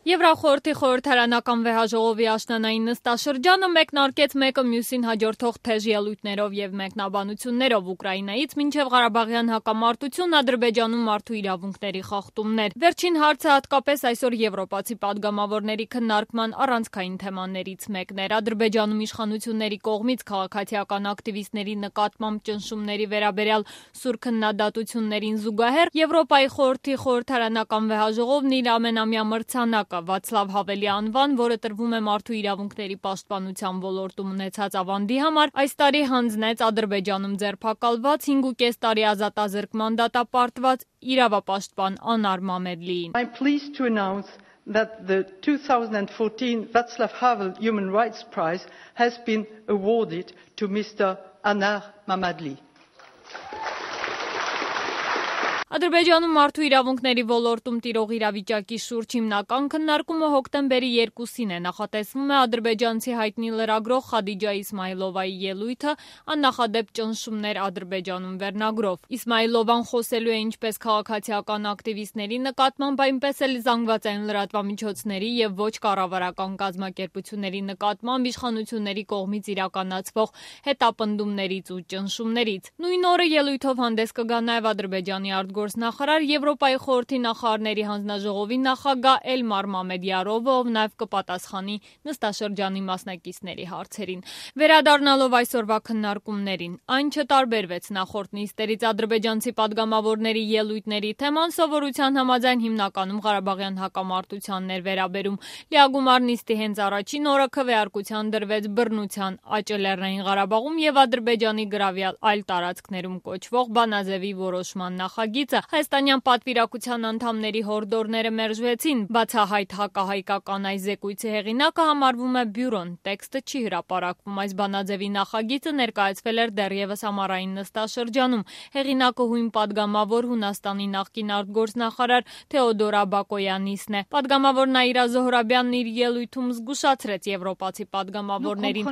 Եվրախորհրդի խորհրդարանական վեհաժողովի աշնանային նստաշրջանը մեկնարկեց մեկը մյուսին հաջորդող թեժ ելույթներով եւ մեկնաբանություններով Ուկրաինայից մինչեւ Ղարաբաղյան հակամարտություն, Ադրբեջանում մարդու իրավունքների խախտումներ։ Վերջին հարցը հատկապես այսօր եվրոպացի падգամավորների քննարկման առանցքային թեմաներից մեկն էր։ Ադրբեջանում իշխանությունների կողմից քաղաքացիական ակտիվիստների նկատմամբ ճնշումների վերաբերյալ սուր քննադատություններին զուգահեռ Եվրոպայի խորհրդի խորհրդարանական վեհաժողովն իր ամենամյա մրցանակը Վացլավ Հավելի անվան, որը տրվում է մարդու իրավունքների պաշտպանության ոլորտում ունեցած ավանդի համար, այս տարի հանձնեց Ադրբեջանում ձերբակալված 5.5 տարի ազատազրկման դատապարտված իրավապաշտպան Անար Մամեդլիին։ I'm pleased to announce that the 2014 Václav Havel Human Rights Prize has been awarded to Mr. Anar Mammadli. Ադրբեջանում մարդու իրավունքների ոլորտում տիրող իրավիճակի շուրջ հիմնական քննարկումը հոկտեմբերի 2-ին է, նախատեսվում է ադրբեջանցի հայտնի լրագրող Խադիջա Իսմայլովայի ելույթը «Աննախադեպ ճնշումներ Ադրբեջանում» վերնագրով։ Իսմայլովան խոսելու է ինչպես քաղաքացիական ակտիվիստների նկատմամբ, այնպես էլ զանգվածային լրատվամիջոցների եւ ոչ կառավարական կազմակերպությունների նկատմամբ իշխանությունների կողմից իրականացվող հետապնդումներից ու ճնշումներից։ Նույն օրը ելույթով հանդես կգա նաեւ Ադրբեջանի արտգործնախարար Եվրոպայի խորհրդի նախարարների հանձնաժողովի նախագահ Էլմար Մամեդյարովը, ով նաև կպատասխանի նստաշրջանի մասնակիցների հարցերին։ Վերադառնալով այսօրվա քննարկումներին, այն չտարբերվեց նախորդ նիստերից ադրբեջանցի падգամավորների ելույթների թեման սովորության համաձայն հիմնականում Ղարաբաղյան հակամարտությանն էր վերաբերում։ Լիագումար նիստի հենց առաջին օրը քվեարկության դրվեց բռնության աճը Լեռնային Ղարաբաղում եւ Ադրբեջանի գրավյալ այլ տարածքներում կոչվող Բանաձևի որոշման նախագիծը։ Հայաստանյան պատվիրակության անդամների հորդորները մերժվեցին։ Բացահայտ հակահայկական այս զեկույցի հեղինակը համարվում է բյուրոն, տեքստը չի հրապարակվում։ Այս Բանաձևի նախագիծը ներկայացվել էր դեռևս ամառային նստաշրջանում։ Հեղինակը հույն падգամավոր Հունաստանի նախկին արտգործնախարար Թեոդորա Բակոյանիսն է։ Падգամավոր Նաիրա Զոհրաբյանն իր ելույթում զգուշացրեց եվրոպացի падգամավորներին։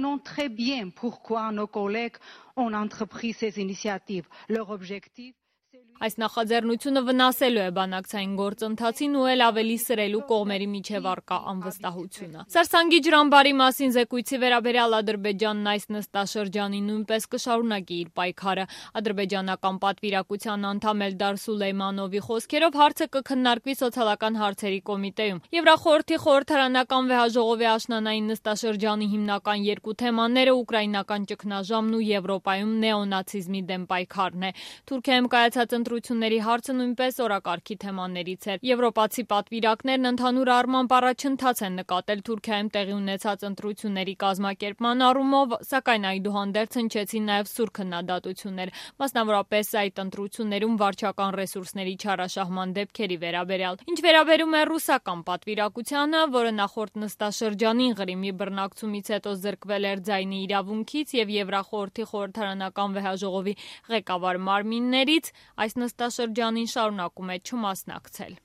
Այս նախաձեռնությունը վնասելու է բանակցային գործընթացին ու էլ ավելի սրելու կողմերի միջև առկա անվստահությունը։ Սարսանգի ջրամբարի մասին զեկույցի վերաբերյալ Ադրբեջանն այս նստաշրջանին նույնպես կշարունակի իր պայքարը։ Ադրբեջանական պատվիրակության անդամ Էլդար Սուլեյմանովի խոսքերով հարցը կքննարկվի սոցիալական հարցերի կոմիտեում։ Եվրախորհրդի խորհրդարանական վեհաժողովի աշնանային նստաշրջանի հիմնական երկու թեմաները ուկրաինական ճգնաժամն ու Եվրոպայում նեոնացիզմի դեմ պայքարն է։ Թուրքիայում կայացած ընտրությունների հարցը նույնպես օրակարգի թեմաներից էր։ Եվրոպացի պատվիրակներն ընդհանուր առմամբ առաջընթաց են նկատել Թուրքիայում տեղի ունեցած ընտրությունների կազմակերպման առումով, սակայն այդուհանդերձ հնչեցին նաև սուր քննադատություններ, մասնավորապես այդ ընտրություններում վարչական ռեսուրսների չարաշահման դեպքերի վերաբերյալ։ Ինչ վերաբերում է ռուսական պատվիրակությանը, որը նախորդ նստաշրջանին Ղրիմի բռնակցումից հետո զրկվել էր ձայնի իրավունքից եւ Եվրախորհրդի խորհրդարանական վեհաժողովի ղեկավար մարմիններից, այս նստաշրջանին շարունակում է չմասնակցել։